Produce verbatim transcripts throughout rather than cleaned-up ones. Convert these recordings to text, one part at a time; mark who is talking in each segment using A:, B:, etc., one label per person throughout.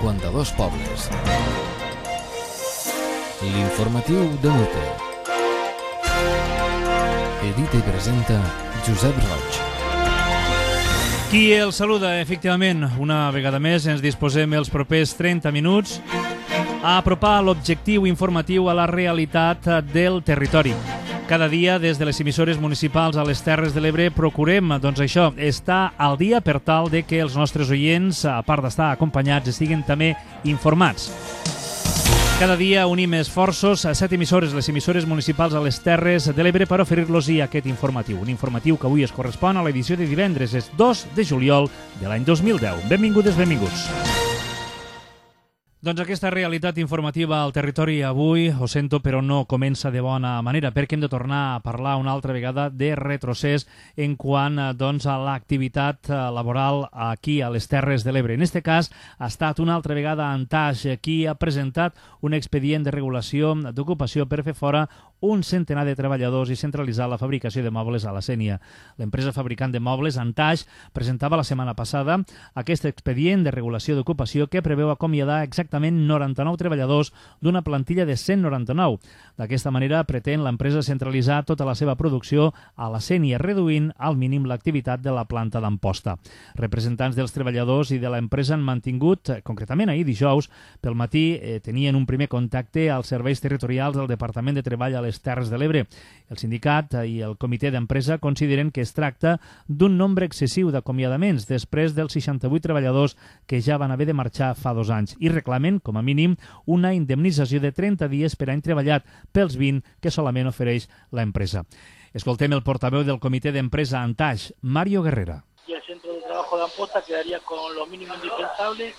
A: cinquanta-dos pobles. L'informatiu de Mute. Edita i presenta Josep Roig.
B: Qui el saluda, efectivament, una vegada més ens disposem els propers trenta minuts a apropar l'objectiu informatiu a la realitat del territori. Cada dia, des de les emissores municipals a les Terres de l'Ebre, procurem, doncs això, estar al dia per tal de que els nostres oients, a part d'estar acompanyats, estiguin també informats. Cada dia unim esforços a set emissores, les emissores municipals a les Terres de l'Ebre, per oferir-los aquest informatiu. Un informatiu que avui es correspon a l'edició de divendres, és dos de juliol de l'any dos mil deu. Benvingudes, benvinguts. Doncs aquesta realitat informativa al territori avui, ho sento, però no comença de bona manera, perquè hem de tornar a parlar una altra vegada de retrocés en quant doncs, a l'activitat laboral aquí a les Terres de l'Ebre. En aquest cas ha estat una altra vegada Antaix qui ha presentat un expedient de regulació d'ocupació per fer fora un centenar de treballadors i centralitzar la fabricació de mobles a la Sénia. L'empresa fabricant de mobles, Antaix, presentava la setmana passada aquest expedient de regulació d'ocupació que preveu acomiadar exactament noranta-nou treballadors d'una plantilla de cent noranta-nou. D'aquesta manera pretén l'empresa centralitzar tota la seva producció a la Sénia, reduint al mínim l'activitat de la planta d'Amposta. Representants dels treballadors i de l'empresa han mantingut, concretament ahir dijous, pel matí eh, tenien un primer contacte als serveis territorials del Departament de Treball a les Terres de l'Ebre. El sindicat i el comitè d'empresa consideren que es tracta d'un nombre excessiu d'acomiadaments després dels seixanta-vuit treballadors que ja van haver de marxar fa dos anys i reclamen, com a mínim, una indemnització de trenta dies per any treballat pels vint que solament ofereix l'empresa. Escoltem el portaveu del comitè d'empresa Antaix, Mario Guerrera.
C: Y el centro de trabajo de Amposta quedaría con lo mínimo indispensable,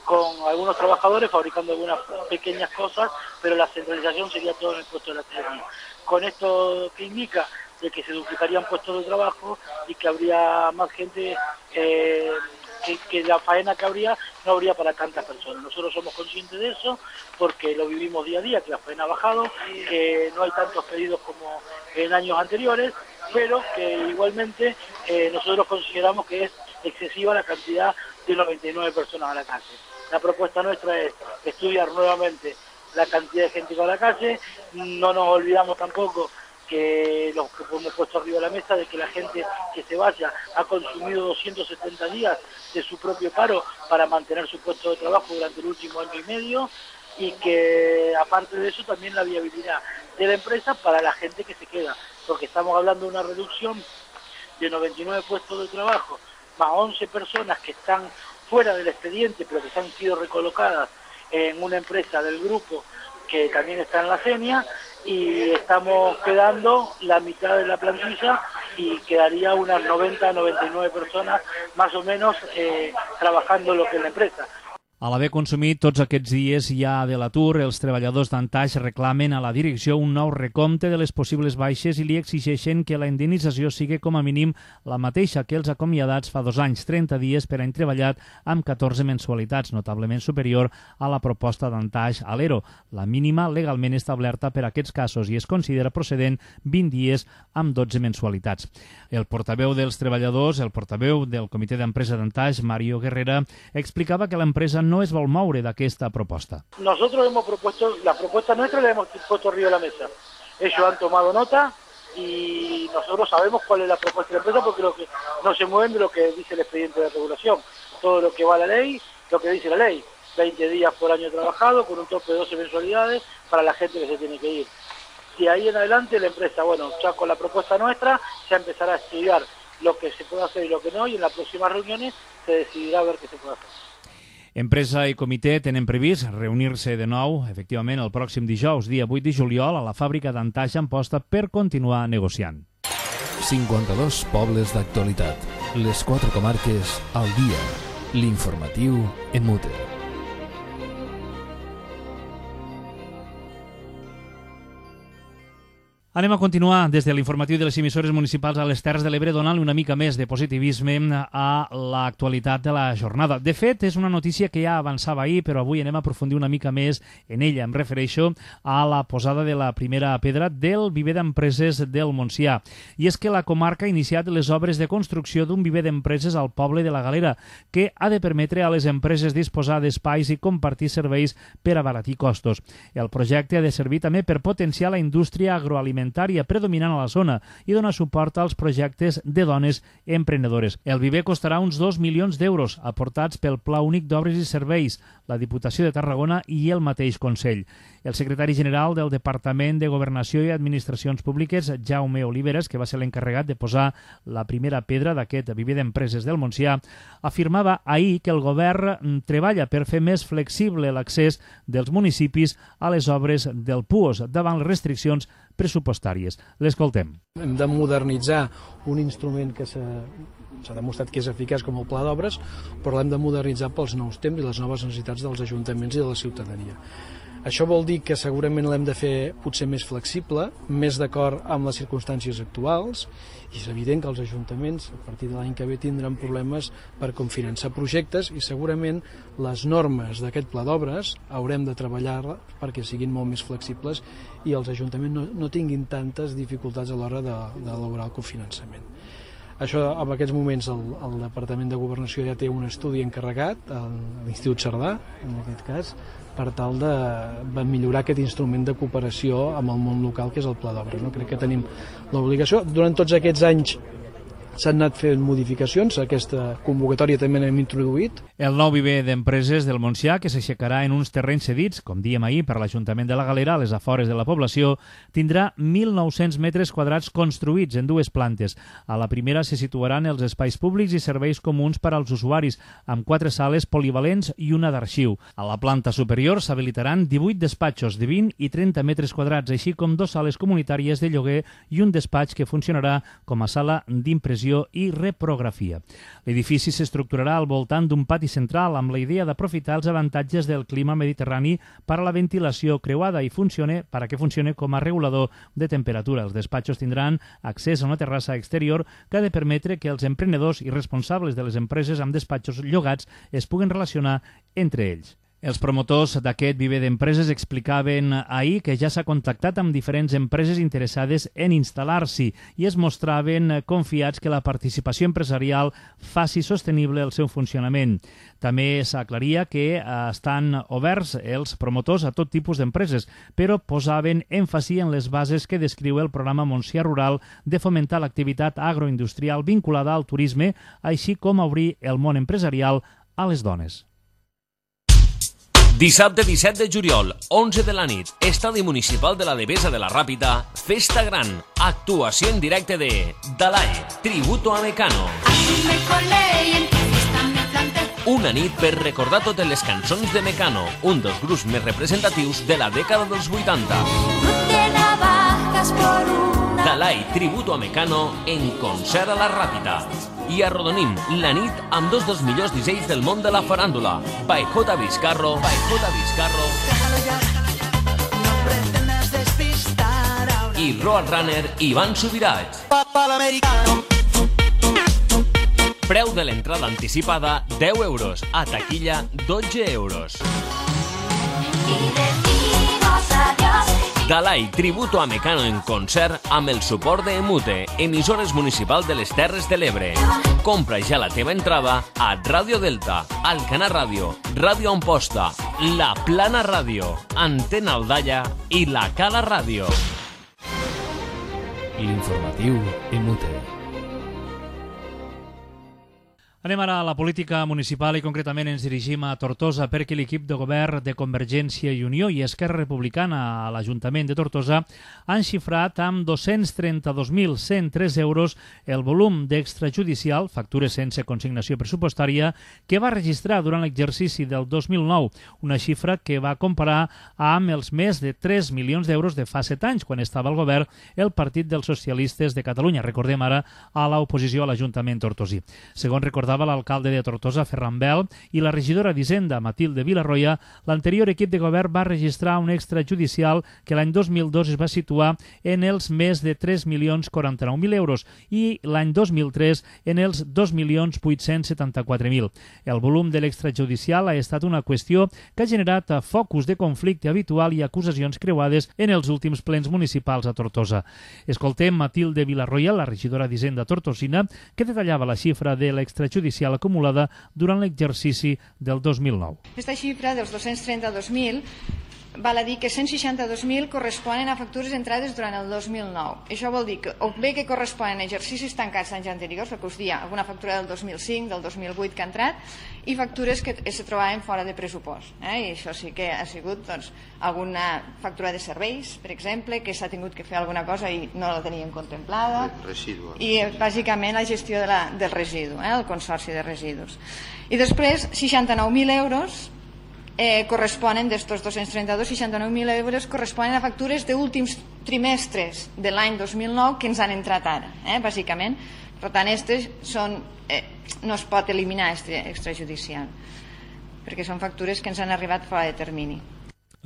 C: con algunos trabajadores fabricando algunas pequeñas cosas, pero la centralización sería todo en el puesto de la artesanía. Con esto que indica de que se duplicarían puestos de trabajo y que habría más gente, eh, que, que la faena que habría no habría para tantas personas. Nosotros somos conscientes de eso porque lo vivimos día a día, que la faena ha bajado, que no hay tantos pedidos como en años anteriores, pero que igualmente eh, nosotros consideramos que es excesiva la cantidad de noventa y nueve personas a la calle. La propuesta nuestra es estudiar nuevamente la cantidad de gente que va a la calle. No nos olvidamos tampoco que lo que hemos puesto arriba de la mesa, de que la gente que se vaya ha consumido doscientos setenta días de su propio paro para mantener su puesto de trabajo durante el último año y medio, y que aparte de eso también la viabilidad de la empresa para la gente que se queda, porque estamos hablando de una reducción de noventa y nueve puestos de trabajo, más once personas que están fuera del expediente, pero que han sido recolocadas en una empresa del grupo que también está en la Sénia, y estamos quedando la mitad de la plantilla y quedaría unas noventa a noventa y nueve personas más o menos eh, trabajando lo que es la empresa.
B: A l'haver consumit tots aquests dies ja de l'atur, els treballadors d'Antaix reclamen a la direcció un nou recompte de les possibles baixes i li exigeixen que la indemnització sigui com a mínim la mateixa que els acomiadats fa dos anys, trenta dies per any treballat amb catorze mensualitats, notablement superior a la proposta d'Antaix a l'Ero, la mínima legalment establerta per a aquests casos, i es considera procedent vint dies amb dotze mensualitats. El portaveu dels treballadors, el portaveu del comitè d'empresa d'Antaix, Mario Guerrera, explicava que l'empresa no es vol moure d'aquesta proposta.
C: Nosotros hemos propuesto, la propuesta nuestra la hemos puesto arriba de la mesa. Ellos han tomado nota y nosotros sabemos cuál es la propuesta de la empresa porque lo que no se mueven de lo que dice el expediente de regulación. Todo lo que va a la ley, lo que dice la ley. veinte días por año trabajado con un tope de doce mensualidades para la gente que se tiene que ir. Y ahí en adelante la empresa, bueno, ya con la propuesta nuestra, ya empezará a estudiar lo que se puede hacer y lo que no, y en las próximas reuniones se decidirá a ver qué se puede hacer.
B: Empresa i comitè tenen previst reunir-se de nou, efectivament, el pròxim dijous, dia vuit de juliol, a la fàbrica d'Antaix Amposta per continuar negociant.
A: cinquanta-dos pobles d'actualitat. Les quatre comarques al dia. L'informatiu en Mute.
B: Anem a continuar des de l'informatiu de les emissores municipals a les Terres de l'Ebre donant una mica més de positivisme a l'actualitat de la jornada. De fet, és una notícia que ja avançava ahir, però avui anem a aprofundir una mica més en ella. Em refereixo a la posada de la primera pedra del viver d'empreses del Montsià. I és que la comarca ha iniciat les obres de construcció d'un viver d'empreses al poble de la Galera, que ha de permetre a les empreses disposar d'espais i compartir serveis per abaratir costos. El projecte ha de servir també per potenciar la indústria agroalimentària predominant a la zona i donar suport als projectes de dones emprenedores. El viver costarà uns dos milions d'euros aportats pel Pla Únic d'Obres i Serveis, la Diputació de Tarragona i el mateix Consell. El secretari general del Departament de Governació i Administracions Públiques, Jaume Oliveres, que va ser l'encarregat de posar la primera pedra d'aquest viver d'empreses del Montsià, afirmava ahir que el govern treballa per fer més flexible l'accés dels municipis a les obres del P U O S davant les restriccions pressupostàries. L'escoltem.
D: Hem de modernitzar un instrument que s'ha s'ha demostrat que és eficaç com el pla d'obres, però l'hem de modernitzar pels nous temps i les noves necessitats dels ajuntaments i de la ciutadania. Això vol dir que segurament l'hem de fer potser més flexible, més d'acord amb les circumstàncies actuals, i és evident que els ajuntaments a partir de l'any que ve tindran problemes per com finançar projectes i segurament les normes d'aquest pla d'obres haurem de treballar perquè siguin molt més flexibles i els ajuntaments no, no tinguin tantes dificultats a l'hora d'elaborar el cofinançament. Això, en aquests moments, el, el Departament de Governació ja té un estudi encarregat, a l'Institut Cerdà, en aquest cas, per tal de, de millorar aquest instrument de cooperació amb el món local, que és el pla d'obres. No? Crec que tenim l'obligació. Durant tots aquests anys s'han anat fent modificacions, aquesta convocatòria també n'hem introduït.
B: El nou viver d'empreses del Montsià, que s'aixecarà en uns terrenys cedits, com dèiem ahir, per l'Ajuntament de la Galera, a les afores de la població, tindrà mil nou-cents metres quadrats construïts en dues plantes. A la primera se situaran els espais públics i serveis comuns per als usuaris, amb quatre sales polivalents i una d'arxiu. A la planta superior s'habilitaran divuit despatxos de vint i trenta metres quadrats, així com dues sales comunitàries de lloguer i un despatx que funcionarà com a sala d'impressió i reprografia. L'edifici s'estructurarà al voltant d'un pati central amb la idea d'aprofitar els avantatges del clima mediterrani per a la ventilació creuada i funcione per a que funcione com a regulador de temperatura. Els despatxos tindran accés a una terrassa exterior que ha de permetre que els emprenedors i responsables de les empreses amb despatxos llogats es puguen relacionar entre ells. Els promotors d'aquest viver d'empreses explicaven ahir que ja s'ha contactat amb diferents empreses interessades en instal·lar-s'hi i es mostraven confiats que la participació empresarial faci sostenible el seu funcionament. També s'aclaria que estan oberts els promotors a tot tipus d'empreses, però posaven èmfasi en les bases que descriu el programa Montsià Rural de fomentar l'activitat agroindustrial vinculada al turisme, així com obrir el món empresarial a les dones.
E: Dissabte disset de juliol, onze de la nit, Estadi Municipal de la Devesa de la Ràpita, Festa Gran, actuació en directe de Dalai, tributo a Mecano. Una nit per recordar totes les cançons de Mecano, un dels grups més representatius de la dècada dels vuitanta. Dalai, tributo a Mecano, en concert a la Ràpita. I arrodonim la nit amb dos dels millors dissenys del món de la faràndula. By J. Vizcarro, by J. Vizcarro i Roadrunner Ivan Subirats. Preu de l'entrada anticipada deu euros, a taquilla dotze euros. Dalai, tributo a Mecano en concert amb el suport de Emute, emissores municipal de les Terres de l'Ebre. Compra ja la teva entrada a Ràdio Delta, Alcanar Ràdio, Ràdio Amposta, La Plana Ràdio, Antena Aldalla i La Cala Ràdio.
A: L'informatiu Emute.
B: Anem ara a la política municipal i concretament ens dirigim a Tortosa perquè l'equip de govern de Convergència i Unió i Esquerra Republicana a l'Ajuntament de Tortosa han xifrat amb dos-cents trenta-dos mil cent tres euros el volum d'extrajudicial, factures sense consignació pressupostària, que va registrar durant l'exercici del dos mil nou, una xifra que va comparar amb els més de tres milions d'euros de fa set anys, quan estava al govern el Partit dels Socialistes de Catalunya. Recordem ara a l'oposició a l'Ajuntament tortosí. Segons recordava recordava l'alcalde de Tortosa, Ferran Bel, i la regidora d'Hisenda, Matilde Vilarroya, l'anterior equip de govern va registrar un extrajudicial que l'any dos mil dos es va situar en els més de tres milions quaranta-nou mil euros i l'any dos mil tres en els dos milions vuit-cents setanta-quatre mil. El volum de l'extrajudicial ha estat una qüestió que ha generat focus de conflicte habitual i acusacions creuades en els últims plens municipals a Tortosa. Escoltem Matilde Vilarroya, la regidora d'Hisenda tortosina, que detallava la xifra de l'extrajudicial acumulada durant l'exercici del dos mil nou.
F: Aquesta xifra dels dos-cents trenta-dos mil val a dir que cent seixanta-dos mil corresponen a factures entrades durant el dos mil nou. Això vol dir que o bé que corresponen a exercicis tancats d'anys anteriors, perquè us dia alguna factura del dos mil cinc, del dos mil vuit que ha entrat, i factures que es trobaven fora de pressupost. Eh? I això sí que ha sigut doncs, alguna factura de serveis, per exemple, que s'ha tingut que fer alguna cosa i no la tenien contemplada. Residu. I bàsicament la gestió de la, del residu, eh? el consorci de residus. I després, seixanta-nou mil euros Eh, corresponen d'estos dos-cents trenta-dos, seixanta-nou mil euros corresponen a factures d'últims trimestres de l'any dos mil nou que ens han entrat ara, eh, bàsicament. Per tant, aquestes són, eh, no es pot eliminar extrajudicial, perquè són factures que ens han arribat fora de termini.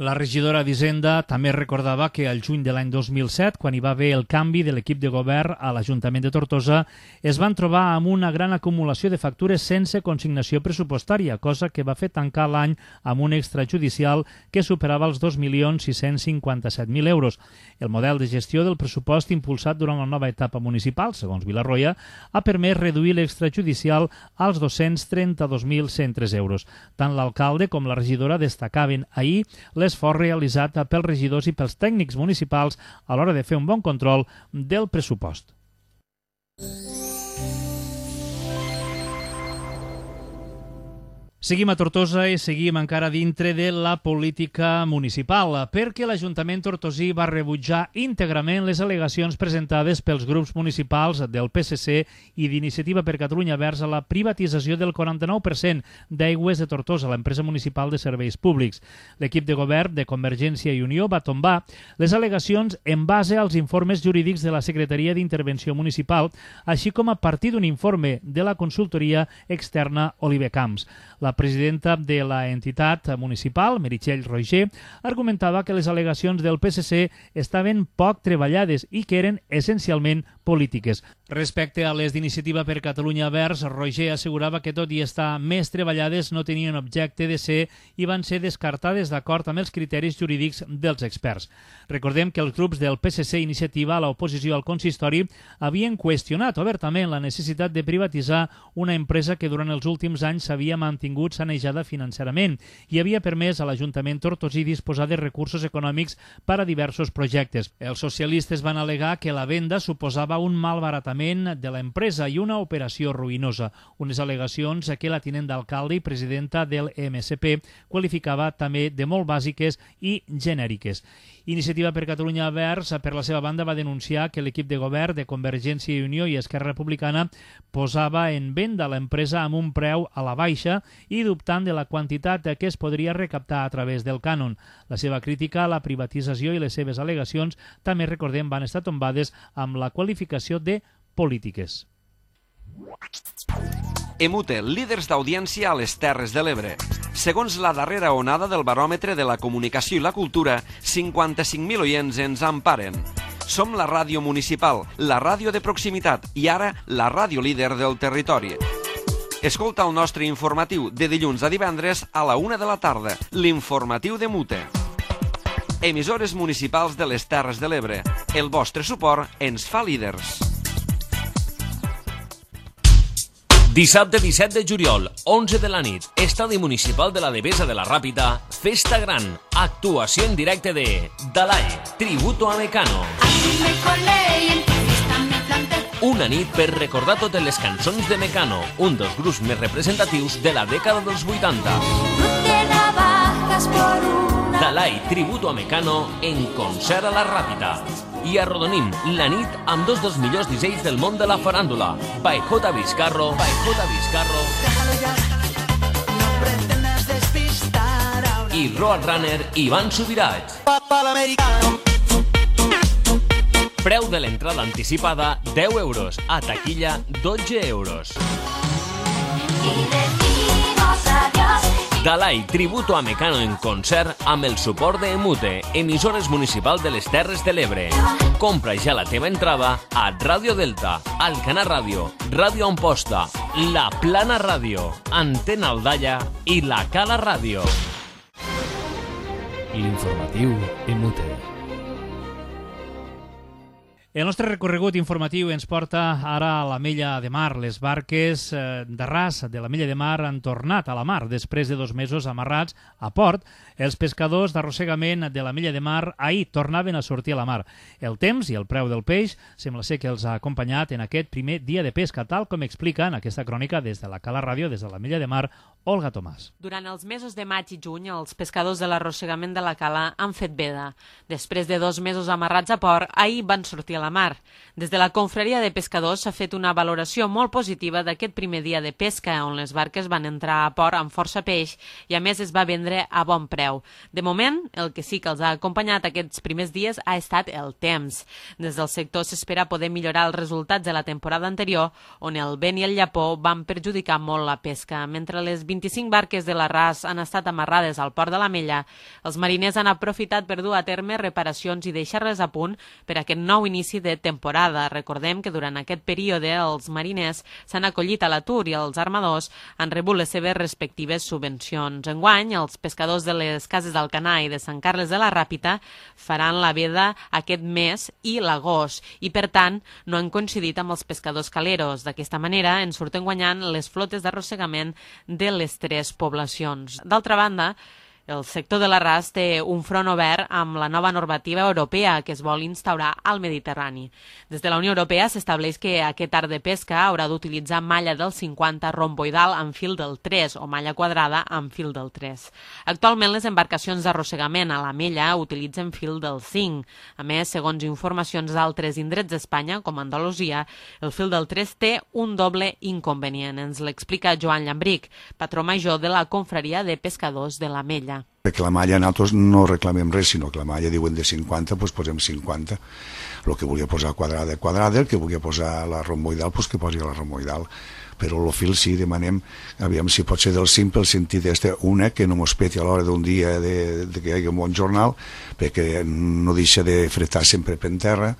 B: La regidora d'Hisenda també recordava que al juny de l'any dos mil set, quan hi va haver el canvi de l'equip de govern a l'Ajuntament de Tortosa, es van trobar amb una gran acumulació de factures sense consignació pressupostària, cosa que va fer tancar l'any amb un extrajudicial que superava els dos milions sis-cents cinquanta-set mil euros. El model de gestió del pressupost impulsat durant la nova etapa municipal, segons Vilarroya, ha permès reduir l'extrajudicial als dos-cents trenta-dos mil cent tres euros. Tant l'alcalde com la regidora destacaven ahir l'esforç realitzat pels regidors i pels tècnics municipals a l'hora de fer un bon control del pressupost. Seguim a Tortosa i seguim encara dintre de la política municipal, perquè l'Ajuntament tortosí va rebutjar íntegrament les al·legacions presentades pels grups municipals del P S C i d'Iniciativa per Catalunya Verds a la privatització del quaranta-nou per cent d'Aigües de Tortosa, l'empresa municipal de serveis públics. L'equip de govern de Convergència i Unió va tombar les al·legacions en base als informes jurídics de la Secretaria d'Intervenció Municipal, així com a partir d'un informe de la consultoria externa Oliver Camps. La presidenta de la entitat municipal, Meritxell Roger, argumentava que les al·legacions del P S C estaven poc treballades i que eren essencialment polítiques. Respecte a les d'Iniciativa per Catalunya Verds, Roger assegurava que tot i estar més treballades no tenien objecte de ser i van ser descartades d'acord amb els criteris jurídics dels experts. Recordem que els grups del P S C Iniciativa a l'oposició al consistori havien qüestionat obertament la necessitat de privatitzar una empresa que durant els últims anys s'havia mantingut sanejada financerament i havia permès a l'Ajuntament tortosí disposar de recursos econòmics per a diversos projectes. Els socialistes van al·legar que la venda suposava un malbaratament de l'empresa i una operació ruïnosa, unes al·legacions que la tinent d'alcalde i presidenta del M S P qualificava també de molt bàsiques i genèriques. Iniciativa per Catalunya Verds, per la seva banda, va denunciar que l'equip de govern de Convergència i Unió i Esquerra Republicana posava en venda l'empresa amb un preu a la baixa i dubtant de la quantitat que es podria recaptar a través del cànon. La seva crítica a la privatització i les seves al·legacions també, recordem, van estar tombades amb la qualificació de polítiques.
G: Emute, líders d'audiència a les Terres de l'Ebre. Segons la darrera onada del baròmetre de la comunicació i la cultura, cinquanta-cinc mil oients ens emparen. Som la ràdio municipal, la ràdio de proximitat i ara la ràdio líder del territori. Escolta el nostre informatiu de dilluns a divendres a la una de la tarda, l'informatiu de Mute. Emissores municipals de les Terres de l'Ebre. El vostre suport ens fa líders.
E: Dissabte disset de juliol, onze de la nit, Estadi Municipal de la Devesa de la Ràpita, Festa Gran, actuació en directe de Dalai, Tributo a Mecano. Una nit per recordar totes les cançons de Mecano, un dels grups més representatius de la dècada dels vuitanta. Dalai, Tributo a Mecano, en concert a la Ràpita. I arrodonim la nit amb dos dels millors dissenys del món de la faràndula, by J. Vizcarro, by J. Vizcarro i Roadrunner Ivan Subirats. Preu de l'entrada anticipada deu euros, a taquilla dotze euros. Dalai Tributo a Mecano en concert amb el suport de Emute, emissores municipal de les Terres de l'Ebre. Compra ja la teva entrada a Ràdio Delta, Alcanar Ràdio, Ràdio Amposta, La Plana Ràdio, Antena Aldalla i La Cala Ràdio.
A: L'informatiu Emute.
B: El nostre recorregut informatiu ens porta ara a l'Ametlla de Mar. Les barques d'arràs de l'Ametlla de Mar han tornat a la mar després de dos mesos amarrats a port. Els pescadors d'arrossegament de l'Ametlla de Mar ahir tornaven a sortir a la mar. El temps i el preu del peix sembla ser que els ha acompanyat en aquest primer dia de pesca, tal com explica en aquesta crònica des de la Cala Ràdio, des de l'Ametlla de Mar, Olga Tomàs.
H: Durant els mesos de maig i juny, els pescadors de l'arrossegament de la Cala han fet veda. Després de dos mesos amarrats a port, ahir van sortir a la mar. Des de la confraria de pescadors s'ha fet una valoració molt positiva d'aquest primer dia de pesca, on les barques van entrar a port amb força peix i a més es va vendre a bon preu. De moment, el que sí que els ha acompanyat aquests primers dies ha estat el temps. Des del sector s'espera poder millorar els resultats de la temporada anterior, on el vent i el llapó van perjudicar molt la pesca. Mentre les vint-i-cinc barques de l'arràs han estat amarrades al port de l'Ametlla, els mariners han aprofitat per dur a terme reparacions i deixar-les a punt per a aquest nou inici de temporada. Recordem que durant aquest període els mariners s'han acollit a l'atur i els armadors han rebut les seves respectives subvencions. Enguany, els pescadors de les cases d'Alcanar i de Sant Carles de la Ràpita faran la veda aquest mes i l'agost i, per tant, no han coincidit amb els pescadors caleros. D'aquesta manera, en surten guanyant les flotes d'arrossegament de les tres poblacions. D'altra banda, el sector de l'arràs té un front obert amb la nova normativa europea que es vol instaurar al Mediterrani. Des de la Unió Europea s'estableix que aquest art de pesca haurà d'utilitzar malla del cinquanta romboidal amb fil del tres o malla quadrada amb fil del tres. Actualment les embarcacions d'arrossegament a l'Ametlla utilitzen fil del cinc. A més, segons informacions d'altres indrets d'Espanya, com Andalusia, el fil del tres té un doble inconvenient. Ens l'explica Joan Llambric, patró major de la confraria de pescadors de l'Ametlla.
I: Perquè la malla nosaltres no reclamem res, sinó que la malla diuen de cinquanta, doncs posem cinquanta. El que volia posar quadrada, quadrada, el que volia posar la romboidal, doncs que posi la romboidal. Però el fil sí, demanem, aviam si pot ser del cinc pel sentit este, una, que no mos peti a l'hora d'un dia de, de que hi hagi un bon jornal, perquè no deixa de fretar sempre per terra,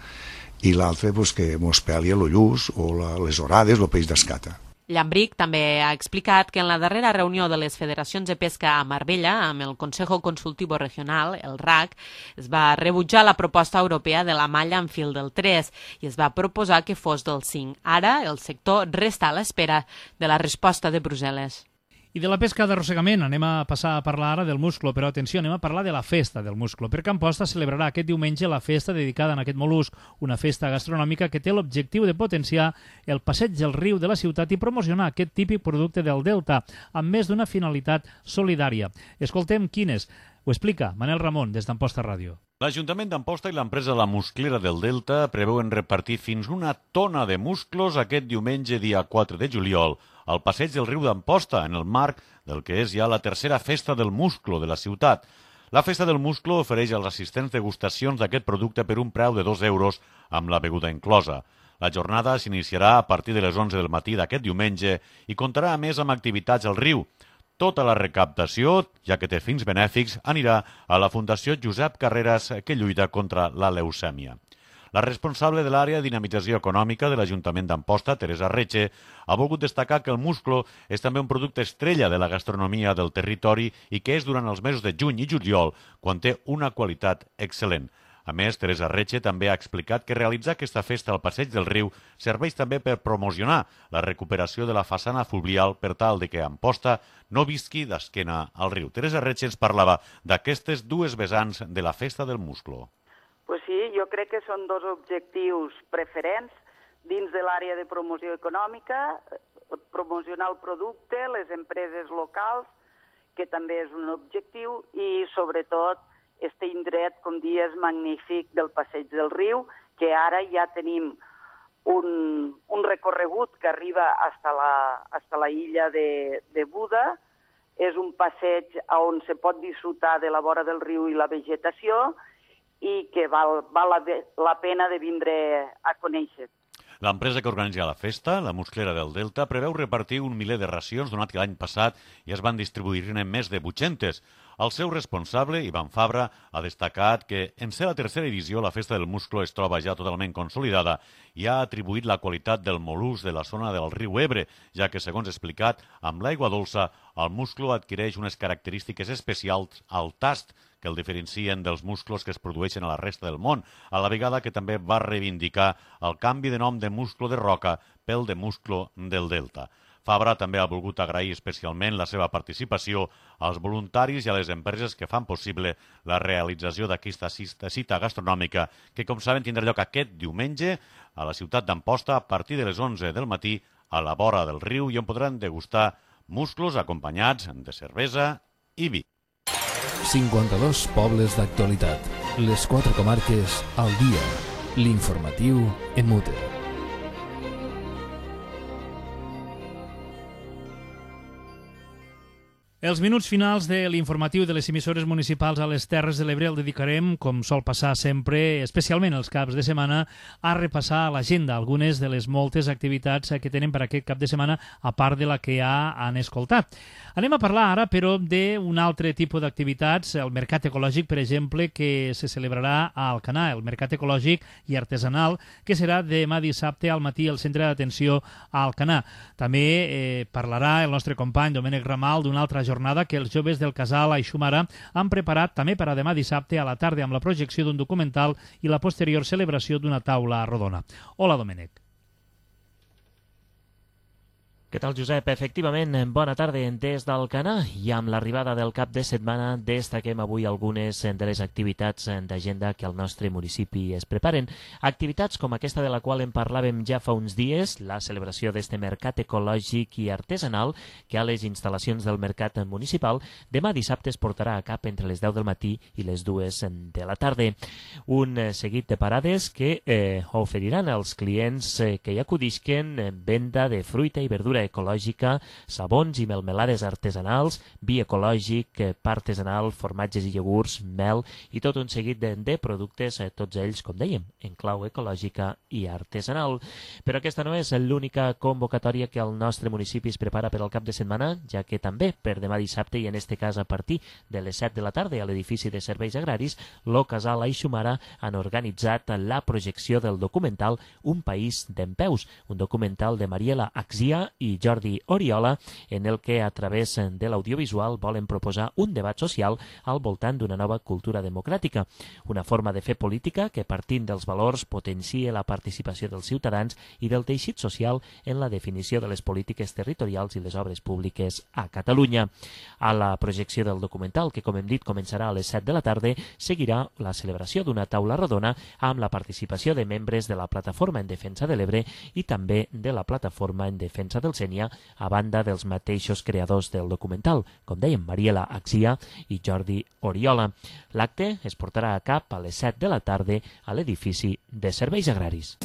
I: i l'altre doncs, que mos peli el lluç o la, les orades, el peix d'escata.
H: Llambric també ha explicat que en la darrera reunió de les federacions de pesca a Marbella, amb el Consejo Consultivo Regional, el R A C, es va rebutjar la proposta europea de la malla en fil del tres i es va proposar que fos del cinc. Ara, el sector resta a l'espera de la resposta de Brussel·les.
B: I de la pesca d'arrossegament anem a passar a parlar ara del musclo, però atenció, anem a parlar de la festa del musclo, perquè Amposta celebrarà aquest diumenge la festa dedicada a aquest mol·lusc, una festa gastronòmica que té l'objectiu de potenciar el passeig del riu de la ciutat i promocionar aquest típic producte del Delta, amb més d'una finalitat solidària. Escoltem quines. Ho explica Manel Ramon, des d'Amposta Ràdio.
J: L'Ajuntament d'Amposta i l'empresa La Musclera del Delta preveuen repartir fins una tona de musclos aquest diumenge dia quatre de juliol al passeig del riu d'Amposta, en el marc del que és ja la tercera festa del musclo de la ciutat. La festa del musclo ofereix als assistents degustacions d'aquest producte per un preu de dos euros amb la beguda inclosa. La jornada s'iniciarà a partir de les onze del matí d'aquest diumenge i comptarà a més amb activitats al riu. Tota la recaptació, ja que té fins benèfics, anirà a la Fundació Josep Carreras, que lluita contra la leucèmia. La responsable de l'àrea de dinamització econòmica de l'Ajuntament d'Amposta, Teresa Reche, ha volgut destacar que el musclo és també un producte estrella de la gastronomia del territori i que és durant els mesos de juny i juliol, quan té una qualitat excel·lent. A més, Teresa Reche també ha explicat que realitzar aquesta festa al passeig del riu serveix també per promocionar la recuperació de la façana fluvial per tal de que Amposta no visqui d'esquena al riu. Teresa Reche ens parlava d'aquestes dues vessants de la festa del musclo.
K: Pues sí, jo crec que són dos objectius preferents dins de l'àrea de promoció econòmica, promocionar el producte, les empreses locals, que també és un objectiu, i sobretot este indret, com dies, magnífic del passeig del riu, que ara ja tenim un, un recorregut que arriba hasta la, hasta la illa de, de Buda. És un passeig on se pot disfrutar de la vora del riu i la vegetació i que val, val la, la pena de vindre a conèixer.
J: L'empresa que organitza la festa, la Musclera del Delta, preveu repartir un miler de racions, donat que l'any passat ja es van distribuir-ne més de vuit-centes. El seu responsable, Ivan Fabra, ha destacat que, en ser la tercera edició, la Festa del Musclo es troba ja totalment consolidada i ha atribuït la qualitat del mol·lusc de la zona del riu Ebre, ja que, segons explicat, amb l'aigua dolça, el musclo adquireix unes característiques especials al tast que el diferencien dels musclos que es produeixen a la resta del món, a la vegada que també va reivindicar el canvi de nom de musclo de roca pel de musclo del Delta. Fabra també ha volgut agrair especialment la seva participació als voluntaris i a les empreses que fan possible la realització d'aquesta cita gastronòmica que, com saben, tindrà lloc aquest diumenge a la ciutat d'Amposta a partir de les onze del matí a la vora del riu i on podran degustar musclos acompanyats de cervesa i vi.
A: cinquanta-dos pobles d'actualitat. Les quatre comarques al dia. L'informatiu en Mute.
B: Els minuts finals de l'informatiu de les emissores municipals a les Terres de l'Ebre el dedicarem, com sol passar sempre, especialment els caps de setmana, a repassar l'agenda, algunes de les moltes activitats que tenen per aquest cap de setmana, a part de la que ja han escoltat. Anem a parlar ara, però, d'un altre tipus d'activitats, el Mercat Ecològic, per exemple, que se celebrarà a Alcanar, el Mercat Ecològic i Artesanal, que serà demà dissabte al matí al Centre d'Atenció a Alcanar. També eh, parlarà el nostre company Domènec Ramal d'una altra jornada que els joves del casal Aixumara han preparat també per a demà dissabte a la tarda amb la projecció d'un documental i la posterior celebració d'una taula rodona. Hola, Domènec.
L: Què tal, Josep? Efectivament, bona tarda des d'Alcanar i amb l'arribada del cap de setmana destaquem avui algunes de les activitats d'agenda que al nostre municipi es preparen. Activitats com aquesta de la qual en parlàvem ja fa uns dies, la celebració d'este mercat ecològic i artesanal que a les instal·lacions del mercat municipal demà dissabte es portarà a cap entre les deu del matí i les dues de la tarda. Un seguit de parades que eh, oferiran als clients eh, que hi acudisquen eh, venda de fruita i verdura ecològica, sabons i melmelades artesanals, vi ecològic, pa artesanal, formatges i iogurts, mel i tot un seguit de, de productes, tots ells, com dèiem, en clau ecològica i artesanal. Però aquesta no és l'única convocatòria que el nostre municipi es prepara per al cap de setmana, ja que també per demà dissabte i en este cas a partir de les set de la tarda a l'edifici de serveis agraris, lo Casal Aixumara han organitzat la projecció del documental Un país dempeus, un documental de Mariela Axia i Jordi Oriola, en el que a través de l'audiovisual volen proposar un debat social al voltant d'una nova cultura democràtica, una forma de fer política que partint dels valors potencia la participació dels ciutadans i del teixit social en la definició de les polítiques territorials i les obres públiques a Catalunya. A la projecció del documental, que com hem dit començarà a les set de la tarda, seguirà la celebració d'una taula rodona amb la participació de membres de la Plataforma en Defensa de l'Ebre i també de la Plataforma en Defensa del Sénia, a banda dels mateixos creadors del documental, com dèiem, Mariela Axia i Jordi Oriola. L'acte es portarà a cap a les set de la tarda a l'edifici de Serveis Agraris.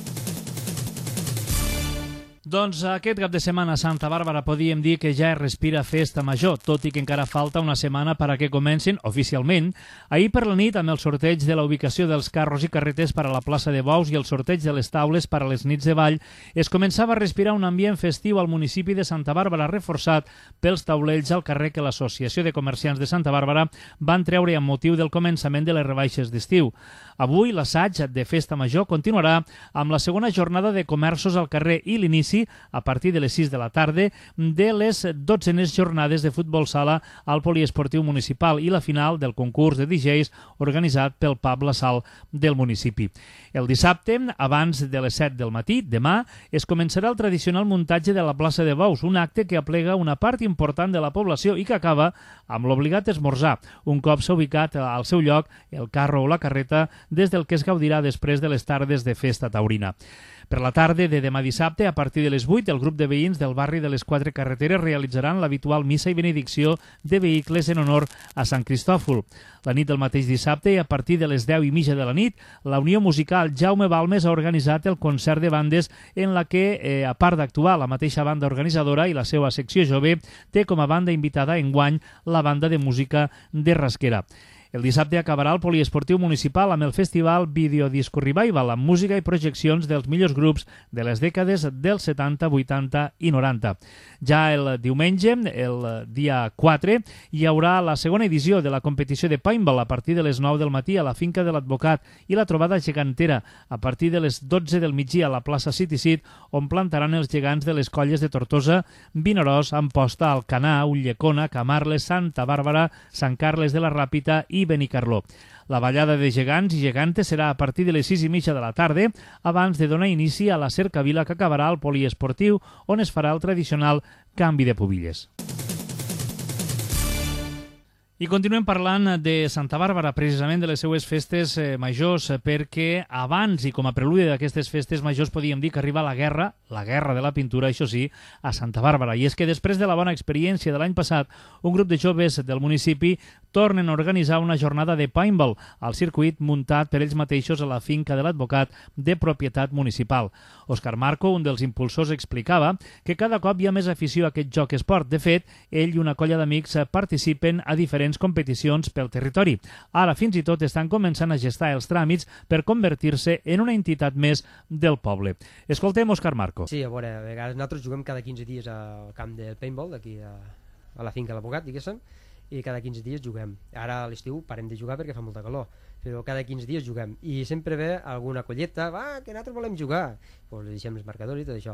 B: Doncs aquest cap de setmana a Santa Bàrbara podíem dir que ja es respira festa major, tot i que encara falta una setmana per a que comencin oficialment. Ahir per la nit, amb el sorteig de la ubicació dels carros i carretes per a la plaça de Bous i el sorteig de les taules per a les nits de ball, es començava a respirar un ambient festiu al municipi de Santa Bàrbara, reforçat pels taulells al carrer que l'Associació de Comerciants de Santa Bàrbara van treure amb motiu del començament de les rebaixes d'estiu. Avui l'assaig de festa major continuarà amb la segona jornada de comerços al carrer i l'inici a partir de les sis de la tarda de les dotzenes jornades de futbol sala al poliesportiu municipal i la final del concurs de D Js organitzat pel pub La Sal del municipi. El dissabte, abans de les set del matí, demà, es començarà el tradicional muntatge de la plaça de Bous, un acte que aplega una part important de la població i que acaba amb l'obligat esmorzar, un cop s'ha ubicat al seu lloc el carro o la carreta des del que es gaudirà després de les tardes de festa taurina. Per la tarda de demà dissabte, a partir de les vuit, el grup de veïns del barri de les Quatre Carreteres realitzaran l'habitual missa i benedicció de vehicles en honor a Sant Cristòfol. La nit del mateix dissabte, a partir de les deu i mitja de la nit, la Unió Musical Jaume Balmes ha organitzat el concert de bandes en la que, eh, a part d'actuar la mateixa banda organitzadora i la seva secció jove, té com a banda invitada enguany la banda de música de Rasquera. El dissabte acabarà el poliesportiu municipal amb el festival Videodisco Revival, amb música i projeccions dels millors grups de les dècades dels setanta, vuitanta i noranta. Ja el diumenge, el dia quatre, hi haurà la segona edició de la competició de paintball a partir de les nou del matí a la finca de l'Advocat i la trobada gegantera a partir de les dotze del migdia a la plaça City Seat, on plantaran els gegants de les colles de Tortosa, Vinaròs, Amposta, Alcanar, Ulldecona, Camarles, Santa Bàrbara, Sant Carles de la Ràpita i Benicarló. La ballada de gegants i gegantes serà a partir de les sis i mitja de la tarda, abans de donar inici a la cercavila que acabarà al poliesportiu, on es farà el tradicional canvi de pubilles. I continuem parlant de Santa Bàrbara, precisament de les seues festes eh, majors, perquè abans i com a preludi d'aquestes festes majors podíem dir que arriba la guerra, la guerra de la pintura, això sí, a Santa Bàrbara. I és que després de la bona experiència de l'any passat, un grup de joves del municipi tornen a organitzar una jornada de paintball al circuit muntat per ells mateixos a la finca de l'Advocat de propietat municipal. Òscar Marco, un dels impulsors, explicava que cada cop hi ha més afició a aquest joc esport. De fet, ell i una colla d'amics participen a diferents competicions pel territori. Ara fins i tot estan començant a gestar els tràmits per convertir-se en una entitat més del poble. Escoltem Òscar Marco.
M: Sí, a veure, a vegades nosaltres juguem cada quinze dies al camp del paintball, aquí a, a la finca de l'Advocat, diguéssim, i cada quinze dies juguem. Ara a l'estiu parem de jugar perquè fa molta calor, però cada quinze dies juguem. I sempre ve alguna colleta, va, que nosaltres volem jugar. Pues li deixem els marcadors i tot això.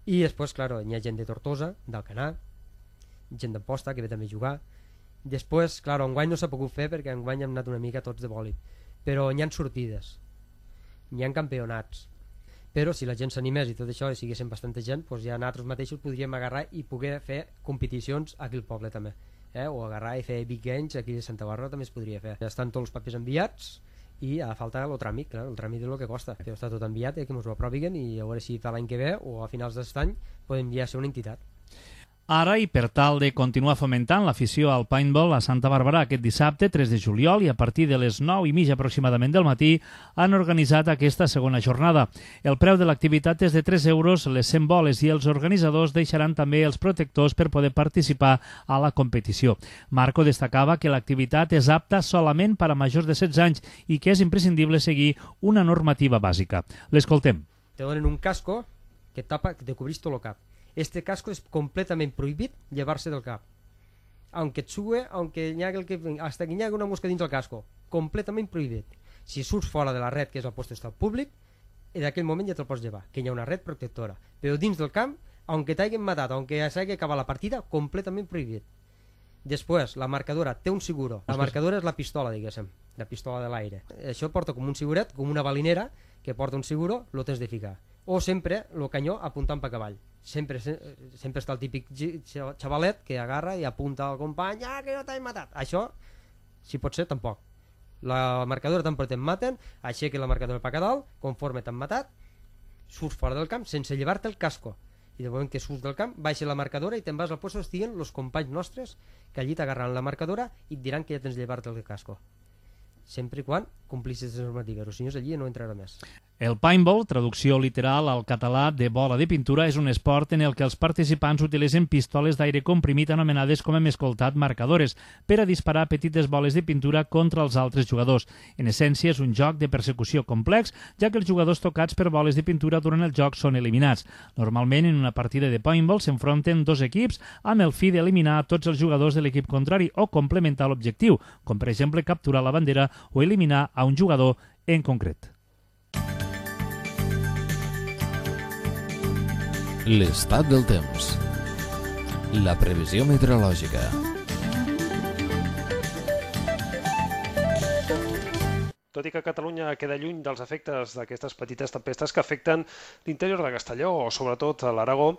M: I després, clar, hi ha gent de Tortosa, d'Alcanar, gent d'Amposta que ve també a jugar. Després, clar, enguany no s'ha pogut fer perquè enguany hem anat una mica tots de bòlit, però hi ha sortides, hi ha campionats, però si la gent s'animés i tot això i siguessin bastanta gent, doncs ja nosaltres mateixos podríem agarrar i poder fer competicions aquí al poble també, eh? O agarrar i fer big games aquí a Santa Bàrbara també es podria fer. Ja estan tots els papers enviats i a falta el tràmit, clar, el tràmit és el que costa, però està tot enviat i que ens ho aproviguen i a veure si per l'any que ve o a finals d'aquest any podem ja ser una entitat.
B: Ara, i per tal de continuar fomentant l'afició al paintball a Santa Bàrbara, aquest dissabte, tres de juliol, i a partir de les nou i mitja aproximadament del matí, han organitzat aquesta segona jornada. El preu de l'activitat és de tres euros, les cent boles, i els organitzadors deixaran també els protectors per poder participar a la competició. Marco destacava que l'activitat és apta solament per a majors de setze anys i que és imprescindible seguir una normativa bàsica. L'escoltem.
M: Te donen un casco que tapa, que te cobrís tot el cap. Este casco es completamente prohibit llevarse del cap. Aunque et sube, aunque hi hagi el que, hasta que hi hagi una mosca dins del casco. Completament prohibit. Si surts fora de la red, que és el post d'estat públic, en aquell moment ja te'l pots llevar, que hi ha una red protectora. Però dins del camp, aunque t'hagin matat, aunque s'hagi acabat la partida, completament prohibit. Després, la marcadora té un seguro. La marcadora és la pistola, diguéssim, la pistola de l'aire. Això porta com un seguret, com una balinera, que porta un seguro, lo tens de ficar. O sempre el canyó apuntant per cavall. Sempre, sempre està el típic xavalet que agarra i apunta al company, ah, que no t'has matat. Això, si pot ser, tampoc. La marcadora tampoc te'n maten, aixeca la marcadora per dalt, conforme t'han matat, surts fora del camp sense llevar-te el casco. I de moment que surts del camp, baixa la marcadora i te'n vas al lloc on estiguen els companys nostres que allí t'agarran la marcadora i et diran que ja tens de llevar-te el casco. Sempre i quan complissis les normatives, o si no és allí no entrarà més.
B: El paintball, traducció literal al català de bola de pintura, és un esport en el que els participants utilitzen pistoles d'aire comprimit anomenades, com hem escoltat, marcadores, per a disparar petites boles de pintura contra els altres jugadors. En essència, és un joc de persecució complex, ja que els jugadors tocats per boles de pintura durant el joc són eliminats. Normalment, en una partida de paintball s'enfronten dos equips amb el fi d'eliminar tots els jugadors de l'equip contrari o complementar l'objectiu, com per exemple capturar la bandera o eliminar a un jugador en concret.
A: L'estat del temps. La previsió meteorològica.
N: Tot i que Catalunya queda lluny dels efectes d'aquestes petites tempestes que afecten l'interior de Castelló o sobretot a l'Aragó,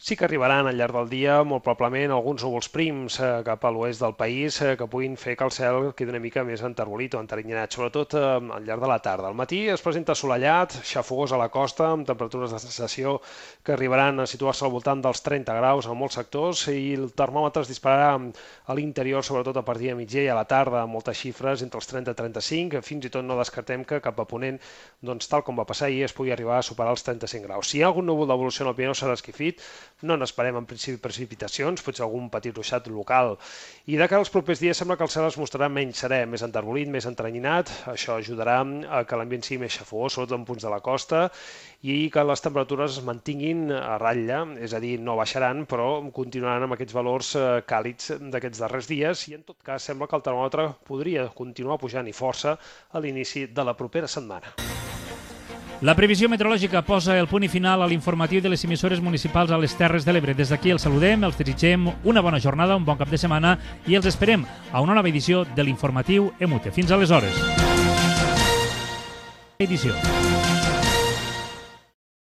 N: sí que arribaran al llarg del dia molt probablement alguns núvols prims eh, cap a l'oest del país eh, que puguin fer que el cel quedi una mica més enterbolit o enterinyinat, sobretot eh, al llarg de la tarda. Al matí es presenta assolellat, xafogós a la costa, amb temperatures de sensació que arribaran a situar-se al voltant dels trenta graus en molts sectors i el termòmetre es dispararà a l'interior, sobretot a partir de migdia i a la tarda, amb moltes xifres entre els trenta i trenta-cinc, fins i tot no descartem que cap a ponent, doncs, tal com va passar ahir, es pugui arribar a superar els trenta-cinc graus. Si hi ha algun núvol d'evolució en el Pirineu serà esquifit, no n'esperem en principi precipitacions, potser algun petit ruixat local. I de cara als propers dies sembla que el cel es mostrarà menys serè, més enterbolit, més entrenyinat. Això ajudarà a que l'ambient sigui més xafogós, sobretot en punts de la costa, i que les temperatures es mantinguin a ratlla, és a dir, no baixaran, però continuaran amb aquests valors càlids d'aquests darrers dies, i en tot cas sembla que el termòmetre podria continuar pujant i força a l'inici de la propera setmana.
B: La previsió meteorològica posa el punt i final a l'informatiu de les emissores municipals a les Terres de l'Ebre. Des d'aquí els saludem, els desitgem una bona jornada, un bon cap de setmana i els esperem a una nova edició de l'informatiu E M U T E. Fins aleshores. Edició.